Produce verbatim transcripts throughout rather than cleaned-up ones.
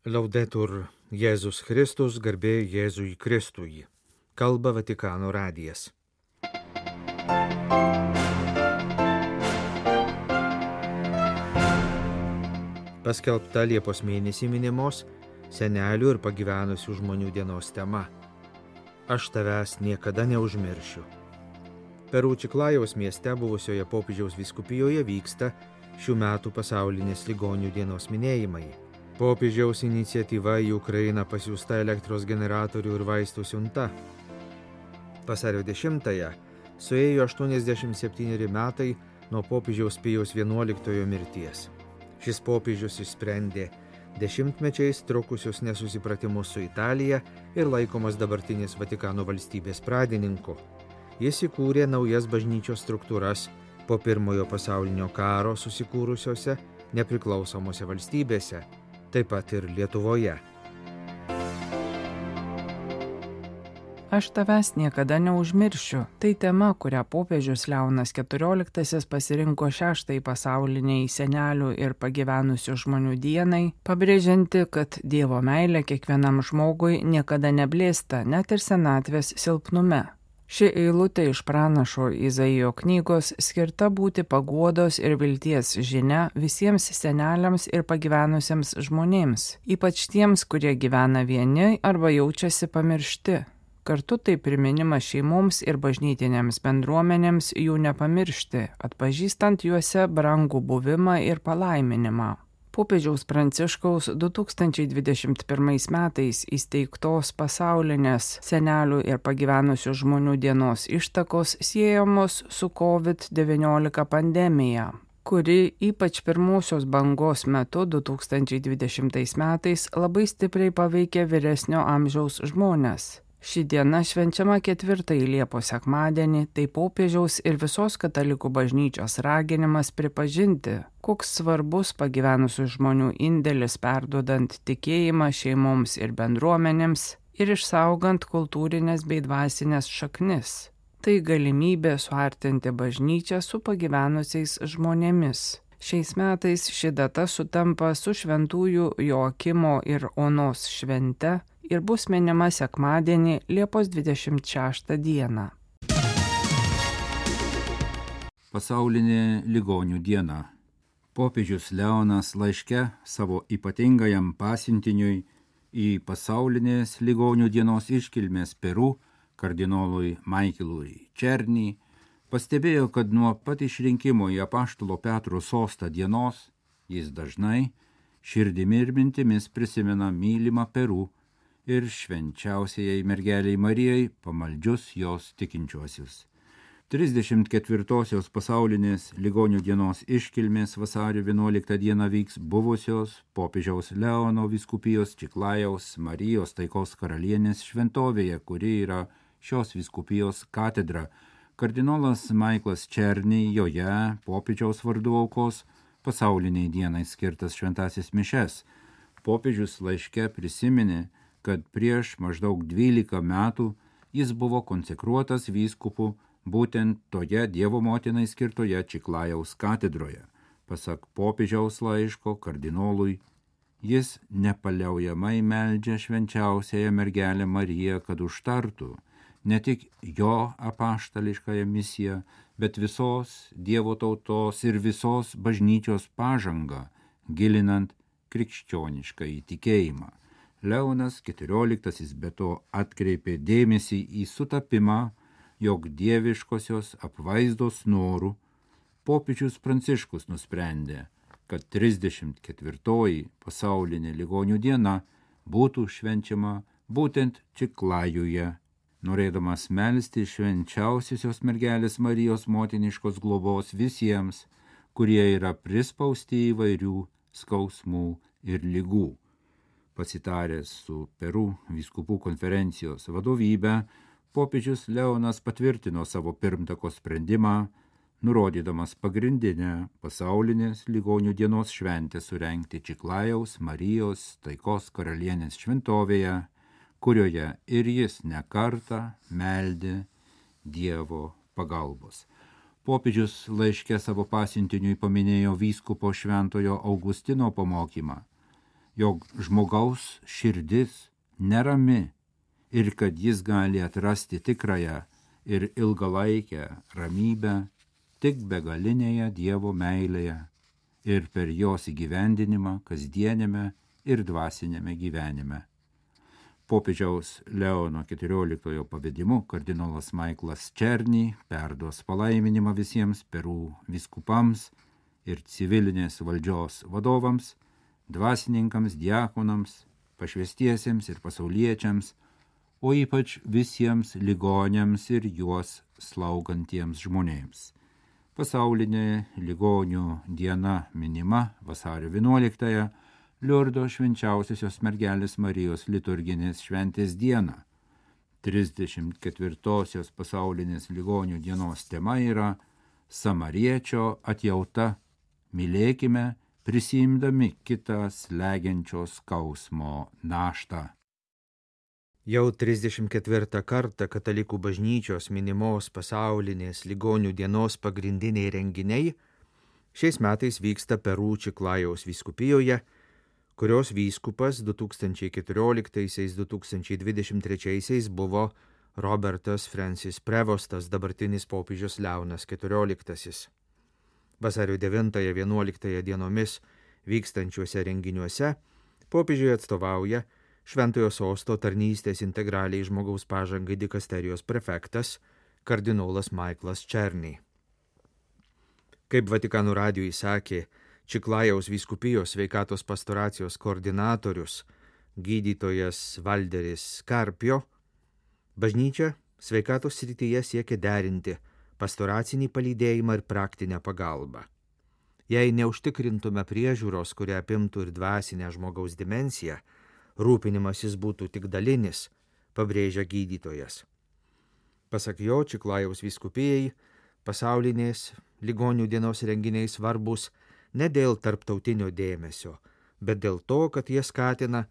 Laudetur Jėzus Kristus, garbė Jėzui Kristui. Kalba Vatikano radijas. Paskelbta Liepos mėnesį minimos senelių ir pagyvenusių žmonių dienos tema. Aš tavęs niekada neužmiršiu. Peru Čiklajaus mieste buvusioje popiežiaus vyskupijoje vyksta šių metų pasaulinės ligonių dienos minėjimai. Popiežiaus iniciatyva į Ukrainą pasiųsta elektros generatorių ir vaistų siunta. Vasario dešimtąją suėjo aštuoniasdešimt septyneri metai nuo popiežiaus Pijaus vienuoliktojo mirties. Šis popiežius išsprendė dešimtmečiais trukusius nesusipratimus su Italija ir laikomas dabartinės Vatikano valstybės pradininku. Jis įkūrė naujas bažnyčios struktūras po pirmojo pasaulinio karo susikūrusiose nepriklausomose valstybėse, taip pat ir Lietuvoje. Aš tavęs niekada neužmiršiu. Tai tema, kurią popiežius Leonas keturioliktasis pasirinko šeštai pasauliniai senelių ir pagyvenusių žmonių dienai, pabrėžianti, kad Dievo meilė kiekvienam žmogui niekada neblėsta, net ir senatvės silpnume. Ši eilutė iš pranašo Izaijo knygos skirta būti paguodos ir vilties žinia visiems seneliams ir pagyvenusiems žmonėms, ypač tiems, kurie gyvena vieni arba jaučiasi pamiršti. Kartu tai priminimas šeimoms ir bažnytinėms bendruomenėms jų nepamiršti, atpažįstant juose brangų buvimą ir palaiminimą. Popiežiaus Pranciškaus du tūkstančiai dvidešimt pirmais metais įsteigtos pasaulinės senelių ir pagyvenusių žmonių dienos ištakos siejamos su kovid devyniolika pandemija, kuri ypač pirmosios bangos metu du tūkstančiai dvidešimtais metais labai stipriai paveikė vyresnio amžiaus žmones. Ši diena švenčiama ketvirtąjį Liepos sekmadienį, tai popiežiaus ir visos katalikų bažnyčios raginimas pripažinti, koks svarbus pagyvenusių žmonių indėlis perduodant tikėjimą šeimoms ir bendruomenėms ir išsaugant kultūrinės bei dvasinės šaknis. Tai galimybė suartinti bažnyčią su pagyvenusiais žmonėmis. Šiais metais ši data sutampa su šventųjų Joakimo ir Onos švente ir bus minima sekmadienį Liepos dvidešimt šeštą dieną. Pasaulinė ligonių diena. Popiežius Leonas laiške savo ypatingajam pasiuntiniui į pasaulinės ligonių dienos iškilmės Peru kardinolui Maikelui Černy pastebėjo, kad nuo pat išrinkimo į apaštalo Petro sostą dienos jis dažnai širdimi ir mintimis prisimena mylimą Peru ir švenčiausiai mergeliai Marijai pamaldžius jos tikinčiuosius. trisdešimt ketvirtosios pasaulinės ligonių dienos iškilmės vasario vienuoliktą dieną vyks buvusios popiežiaus Leono vyskupijos Čiklajaus Marijos taikos karalienės šventovėje, kuri yra šios vyskupijos katedra. Kardinolas Maiklas Černy joje popiežiaus vardu aukos pasauliniai dienai skirtas šventasis mišes. Popiežius laiške prisiminė, kad prieš maždaug dvylika metų jis buvo konsekruotas vyskupu būtent toje Dievo motinai skirtoje Čiklajaus katedroje. Pasak popiežiaus laiško kardinolui, jis nepaliaujamai meldžia švenčiausiąją mergelę Mariją, kad užtartų ne tik jo apaštališkąją misiją, bet visos Dievo tautos ir visos bažnyčios pažangą, gilinant krikščionišką įtikėjimą. Leonas keturioliktasis be to atkreipė dėmesį į sutapimą, jog dieviškosios apvaizdos norų popiežius Pranciškus nusprendė, kad trisdešimt ketvirtoji pasaulinė ligonių diena būtų švenčiama būtent Čiklajuje, norėdamas melsti švenčiausiosios mergelės Marijos motiniškos globos visiems, kurie yra prispausti įvairių skausmų ir ligų. Pasitaręs su Peru vyskupų konferencijos vadovybe, popiežius Leonas patvirtino savo pirmtako sprendimą, nurodydamas pagrindinę pasaulinės ligonių dienos šventę surengti Čiklajaus Marijos taikos karalienės šventovėje, kurioje ir jis ne kartą meldė Dievo pagalbos. Popiežius laiške savo pasiuntiniui paminėjo vyskupo šventojo Augustino pamokymą. jog žmogaus širdis nerami ir kad jis gali atrasti tikrąją ir ilgalaikę ramybę tik begalinėje Dievo meilėje ir per jos įgyvendinimą kasdienėme ir dvasinėme gyvenime. Popiežiaus Leono keturioliktojo pavedimu kardinolas Michaelas Černy perduos palaiminimą visiems Peru vyskupams ir civilinės valdžios vadovams, dvasininkams, diakonams, pašvestiesiems ir pasauliečiams, o ypač visiems ligoniams ir juos slaugantiems žmonėms. Pasaulinė ligonių diena minima vasario vienuoliktąją, Liurdo švenčiausiosios mergelės Marijos liturginės šventės dieną. trisdešimt ketvirtosios pasaulinės ligonių dienos tema yra Samariečio atjauta. Mylėkime, prisiimdami kitą slegiančio skausmo naštą. Jau trisdešimt ketvirtą kartą katalikų bažnyčios minimos pasaulinės ligonių dienos pagrindiniai renginiai šiais metais vyksta Peru Čiklajaus vyskupijoje, kurios vyskupas du tūkstančiai keturioliktaisiais - du tūkstančiai dvidešimt trečiaisiais buvo Robertas Francis Prevostas, dabartinis popiežius Leonas keturioliktasis. Vasario devintąją vienuoliktąją dienomis vykstančiuose renginiuose popiežiui atstovauja Šventojo sosto tarnystės integraliai žmogaus pažangai dikasterijos prefektas kardinolas Michaelas Černy. Kaip Vatikano radijui sakė Čiklajaus vyskupijos sveikatos pastoracijos koordinatorius gydytojas Valderis Karpio, bažnyčia sveikatos srityje siekia derinti pastoracinį palydėjimą ir praktinę pagalbą. Jei neužtikrintume priežiūros, kuria apimtų ir dvasinę žmogaus dimensiją, rūpinimasis būtų tik dalinis, pabrėžia gydytojas. Pasak jo, Čiklajaus vyskupijai pasaulinės ligonių dienos renginiai svarbus ne dėl tarptautinio dėmesio, bet dėl to, kad jie skatina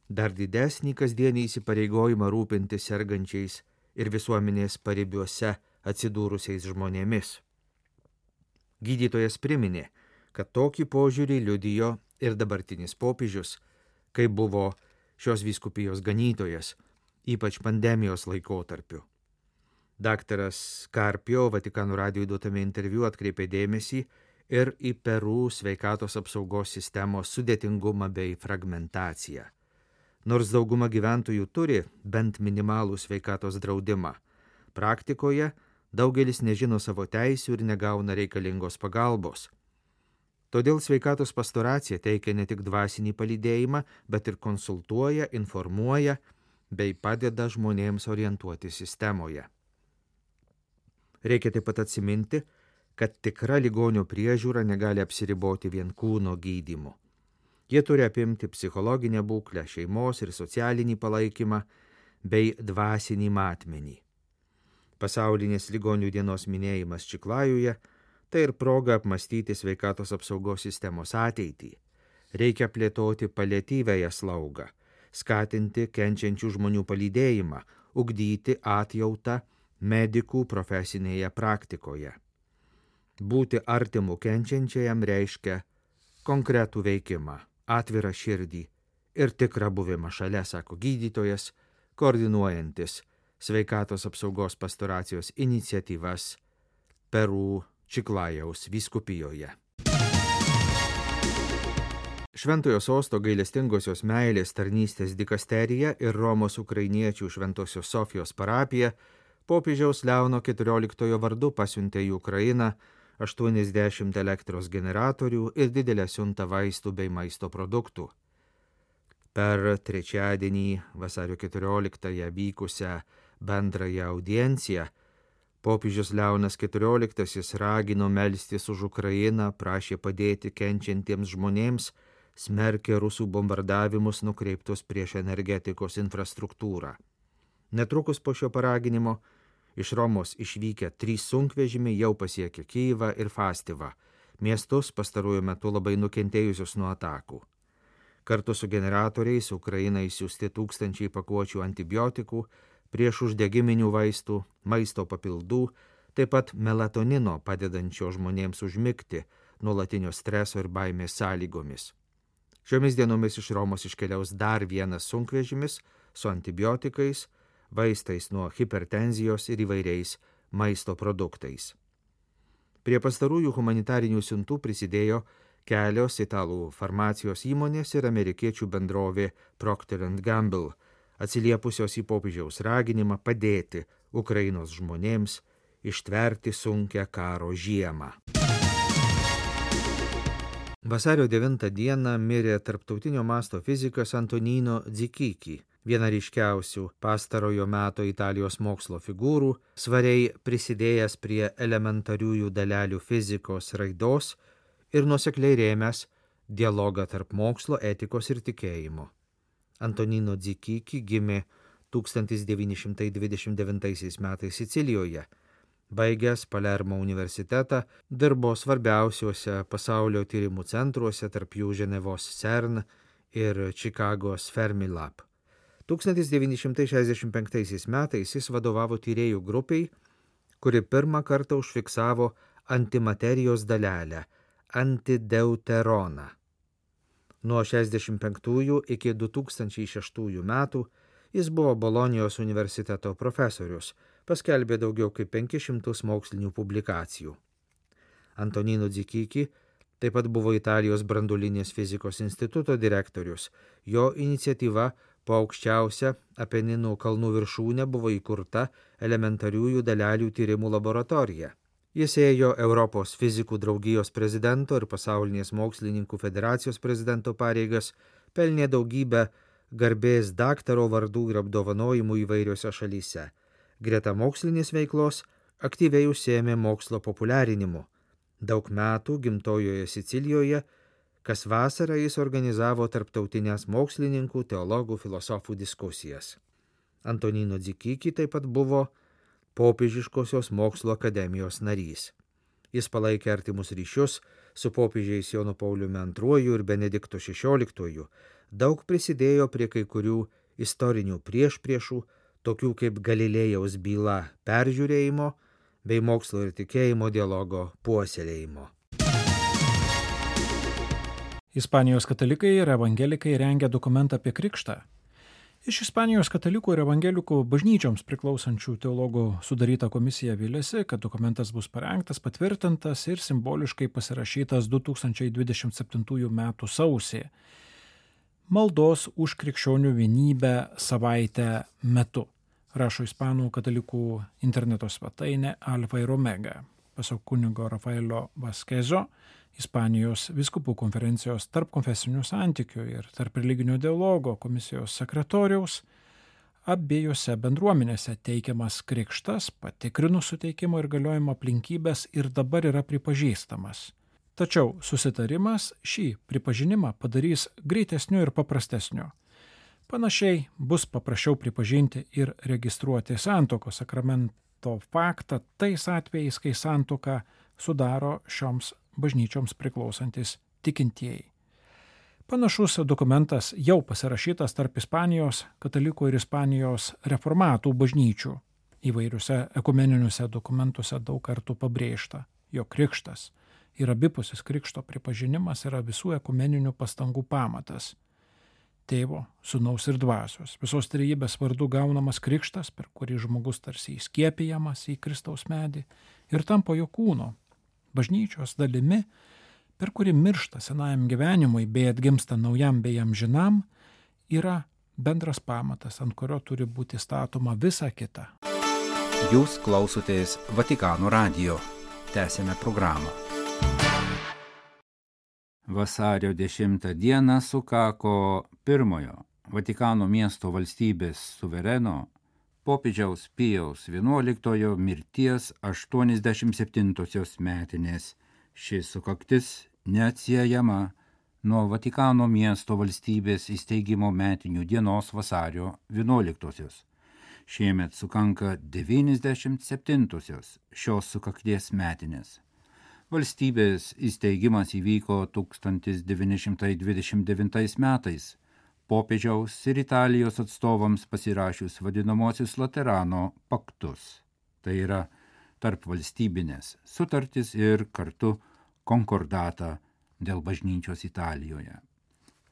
dar didesnį kasdienį įsipareigojimą rūpinti sergančiais ir visuomenės paribiuose atsidūrusiais žmonėmis. Gydytojas priminė, kad tokį požiūrį liudijo ir dabartinis popiežius, kai buvo šios vyskupijos ganytojas, ypač pandemijos laikotarpiu. Daktaras Karpio Vatikano radijui duotame interviu atkreipė dėmesį ir į Peru sveikatos apsaugos sistemos sudėtingumą bei fragmentaciją. Nors dauguma gyventojų turi bent minimalų sveikatos draudimą, praktikoje daugelis nežino savo teisių ir negauna reikalingos pagalbos. Todėl sveikatos pastoracija teikia ne tik dvasinį palydėjimą, bet ir konsultuoja, informuoja bei padeda žmonėms orientuoti sistemoje. Reikia taip pat atsiminti, kad tikra ligonio priežiūra negali apsiriboti vien kūno gydymu. Jie turi apimti psichologinę būklę, šeimos ir socialinį palaikymą bei dvasinį matmenį. Pasaulinės ligonių dienos minėjimas Čiklajuje tai ir proga apmastyti sveikatos apsaugos sistemos ateitį. Reikia plėtoti paliatyviąją slaugą, skatinti kenčiančių žmonių palydėjimą, ugdyti atjautą medikų profesinėje praktikoje. Būti artimu kenčiančiajam reiškia konkretų veikimą, atvirą širdį ir tikrą buvimą šalia, sako gydytojas, koordinuojantis sveikatos apsaugos pastoracijos iniciatyvas Peru Čiklajaus vyskupijoje. Šventojo sosto gailestingosios meilės tarnystės dikasterija ir Romos ukrainiečių Šventosios Sofijos parapija popiežiaus Leono keturioliktojo vardu pasiuntė į Ukrainą aštuoniasdešimt elektros generatorių ir didelę siuntą vaistų bei maisto produktų. Per trečiadienį vasario keturioliktąją vykusią bendrąją audienciją popiežius Leonas keturioliktasis ragino melstis už Ukrainą, prašė padėti kenčiantiems žmonėms, smerkė rusų bombardavimus nukreiptus prieš energetikos infrastruktūrą. Netrukus po šio paraginimo iš Romos išvykę trys sunkvežimiai jau pasiekė Kyjivą ir Fastivą, miestus pastaruoju metu labai nukentėjusius nuo atakų. Kartu su generatoriais Ukrainai siųsti tūkstančiai pakuočių antibiotikų, prieš uždegiminių vaistų, maisto papildų, taip pat melatonino padedančio žmonėms užmigti nuolatinio streso ir baimės sąlygomis. Šiomis dienomis iš Romos iškeliaus dar vienas sunkvežimis su antibiotikais, vaistais nuo hipertenzijos ir įvairiais maisto produktais. Prie pastarųjų humanitarinių siuntų prisidėjo kelios italų farmacijos įmonės ir amerikiečių bendrovė Procter and Gamble, atsiliepusios į popiežiaus raginimą padėti Ukrainos žmonėms ištverti sunkią karo žiemą. Vasario devintą dieną mirė tarptautinio masto fizikas Antonino Dzikichi, viena ryškiausių pastarojo meto Italijos mokslo figūrų, svariai prisidėjęs prie elementariųjų dalelių fizikos raidos ir nuosekliai rėmęs dialogą tarp mokslo, etikos ir tikėjimo. Antonino Dzikichi gimė tūkstantis devyni šimtai dvidešimt devintaisiais metais Sicilijoje. Baigęs Palermo universitetą, dirbo svarbiausiuose pasaulio tyrimų centruose, tarp jų Ženevos CERN ir Čikagos Fermilab. tūkstantis devyni šimtai šešiasdešimt penktaisiais metais jis vadovavo tyrėjų grupiai, kuri pirmą kartą užfiksavo antimaterijos dalelę – antideuteroną. Nuo šešiasdešimt penktųjų iki du tūkstančiai šeštųjų metų jis buvo Bolonijos universiteto profesorius, paskelbė daugiau kaip penkis šimtus mokslinių publikacijų. Antonino Dzikichi taip pat buvo Italijos branduolinės fizikos instituto direktorius. Jo iniciatyva po aukščiausią Apeninų kalnų viršūnę buvo įkurta elementariųjų dalelių tyrimų laboratorija. Jis ėjo Europos fizikų draugijos prezidento ir pasaulinės mokslininkų federacijos prezidento pareigas, pelnė daugybę garbės daktaro vardų ir apdovanojimų įvairiose šalyse. Greta mokslinės veiklos aktyviai užsiėmė mokslo populiarinimu. Daug metų gimtojoje Sicilijoje, kas vasarą jis organizavo tarptautinės mokslininkų, teologų, filosofų diskusijas. Antonino Dzikichi taip pat buvo Popiežiškosios mokslo akademijos narys. Jis palaikė artimus ryšius su popiežiais Jonu Pauliumi antruoju ir Benediktu šešioliktuoju, daug prisidėjo prie kai kurių istorinių priešpriešų, tokių kaip Galilėjaus byla peržiūrėjimo bei mokslo ir tikėjimo dialogo puoselėjimo. Ispanijos katalikai ir evangelikai rengia dokumentą apie krikštą. Iš Ispanijos katalikų ir evangelikų bažnyčioms priklausančių teologų sudaryta komisija vylėsi, kad dokumentas bus parengtas, patvirtintas ir simboliškai pasirašytas du tūkstančiai dvidešimt septintųjų metų sausį. Maldos už krikščionių vienybę savaitę metu, rašo Ispanų katalikų interneto svetainė Alfa ir Omega. Pasak kunigo Rafaelio Vasquezo, Ispanijos vyskupų konferencijos tarp konfesinių santykių ir tarp religinio dialogo komisijos sekretoriaus, abiejose bendruomenėse teikiamas krikštas, patikrinus suteikimo ir galiojimo aplinkybės ir dabar yra pripažįstamas. Tačiau susitarimas šį pripažinimą padarys greitesniu ir paprastesniu. Panašiai bus paprasčiau pripažinti ir registruoti santuokos sakramento faktą tais atvejais, kai santuoką sudaro šioms bažnyčioms priklausantis tikintieji. Panašus dokumentas jau pasirašytas tarp Ispanijos katalikų ir Ispanijos reformatų bažnyčių. Įvairiuose ekumeniniuose dokumentuose daug kartų pabrėžta, jog krikštas ir abipusis krikšto pripažinimas yra visų ekumeninių pastangų pamatas. Tėvo, Sūnaus ir Dvasios, visos trejybės vardu gaunamas krikštas, per kurį žmogus tarsi įskiepijamas į Kristaus medį ir tampa jo kūno, bažnyčios dalimi, per kurį miršta senajam gyvenimui bei atgimsta naujam bei amžinam, yra bendras pamatas, ant kurio turi būti statoma visa kita. Jūs klausotės Vatikano radijo. Tęsėme programą. Vasario dešimtą dieną sukako pirmojo Vatikano miesto valstybės suvereno popiežiaus Pijaus vienuoliktojo mirties aštuoniasdešimt septintosios metinės. Ši sukaktis neatsiejama nuo Vatikano miesto valstybės įsteigimo metinių dienos vasario vienuoliktosios. Šiemet sukanka devyniasdešimt septintosios šios sukakties metinės. Valstybės įsteigimas įvyko tūkstantis devyni šimtai dvidešimt devintais metais, popiežiaus ir Italijos atstovams pasirašius vadinamosius Laterano paktus. Tai yra tarp valstybinės sutartis ir kartu konkordatą dėl bažnyčios Italijoje.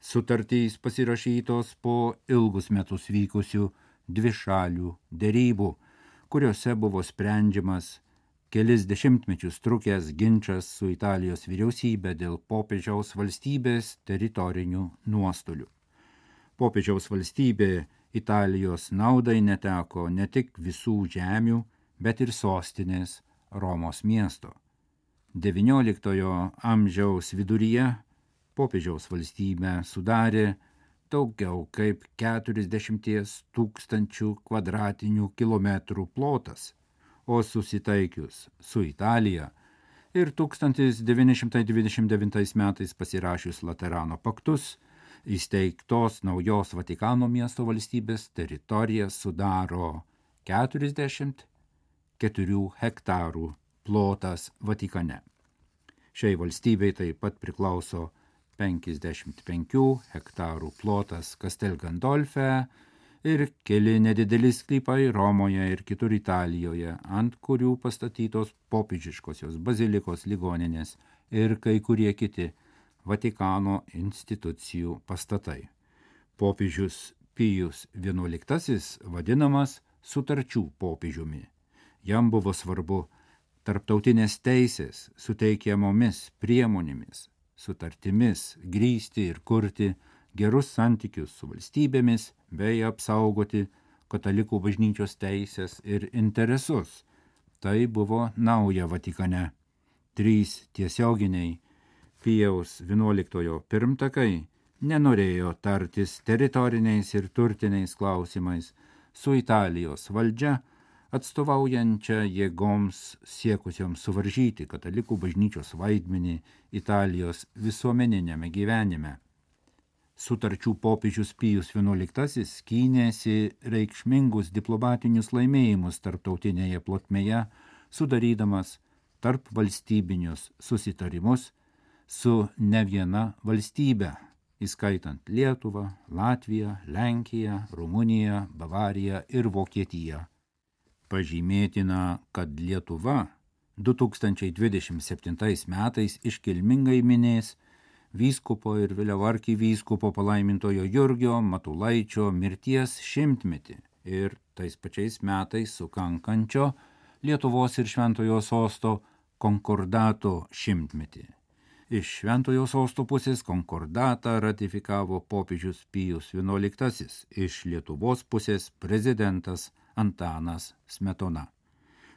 Sutartys pasirašytos po ilgus metus vykusių dvišalių derybų, kuriuose buvo sprendžiamas kelis dešimtmečius trukęs ginčas su Italijos vyriausybė dėl popiežiaus valstybės teritorinių nuostolių. Popiežiaus valstybė Italijos naudai neteko ne tik visų žemių, bet ir sostinės Romos miesto. devynioliktojo amžiaus viduryje popiežiaus valstybę sudarė daugiau kaip keturiasdešimt tūkstančių kvadratinių kilometrų plotas, o susitaikius su Italija ir tūkstantis devyni šimtai dvidešimt devintais metais pasirašius Laterano paktus, įsteigtos naujos Vatikano miesto valstybės teritorija sudaro keturiasdešimt keturių hektarų plotas Vatikane. Šiai valstybei taip pat priklauso penkiasdešimt penkių hektarų plotas Castel Gandolfe ir keli nedideli sklypai Romoje ir kitur Italijoje, ant kurių pastatytos popiežiškosios bazilikos ligoninės ir kai kurie kiti Vatikano institucijų pastatai. Popiežius Pijus vienuoliktasis vadinamas sutarčių popiežiumi. Jam buvo svarbu tarptautinės teisės suteikiamomis priemonėmis, sutartimis grįsti ir kurti gerus santykius su valstybėmis bei apsaugoti katalikų bažnyčios teisės ir interesus. Tai buvo nauja Vatikane. Trys tiesioginiai Pijaus vienuoliktojo pirmtakai nenorėjo tartis teritoriniais ir turtiniais klausimais su Italijos valdžia, atstovaujančia jėgoms siekusioms suvaržyti katalikų bažnyčios vaidmenį Italijos visuomeninėme gyvenime. Sutarčių popiežius Pijus vienuoliktasis skynėsi reikšmingus diplomatinius laimėjimus tarptautinėje plotmėje, sudarydamas tarp valstybinius susitarimus su ne viena valstybe, įskaitant Lietuvą, Latviją, Lenkiją, Rumuniją, Bavariją ir Vokietiją. Pažymėtina, kad Lietuva du tūkstančiai dvidešimt septintais metais iškilmingai minės vyskupo ir vėliau arkivyskupo palaimintojo Jurgio Matulaičio mirties šimtmetį ir tais pačiais metais sukankančio Lietuvos ir Šventojo sosto konkordato šimtmetį. Iš Šventojo sosto pusės konkordatą ratifikavo popiežius Pijus vienuoliktasis, iš Lietuvos pusės prezidentas Antanas Smetona.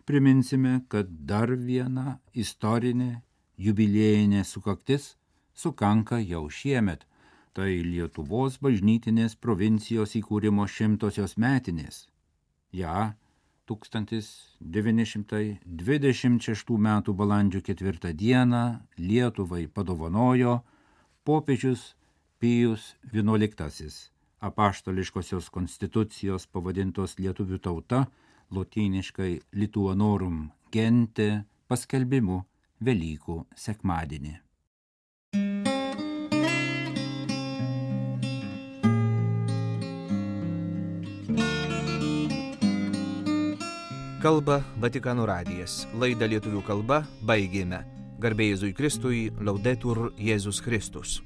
Priminsime, kad dar viena istorinė jubiliejinė sukaktis sukanka jau šiemet. Tai Lietuvos bažnytinės provincijos įkūrimo šimtosios metinės. Ja, tūkstantis devyni šimtai dvidešimt šeštų metų balandžio ketvirtą dieną Lietuvai padovanojo popiežius Pijus vienuoliktasis, apaštališkosios konstitucijos pavadintos lietuvių tauta, lotyniškai Lituanorum gente, paskelbimu Velykų sekmadienį. Kalba Vatikano radijas. Laidą lietuvių kalba baigėme. Garbė Jėzui Kristui, Laudetur Jėzus Kristus.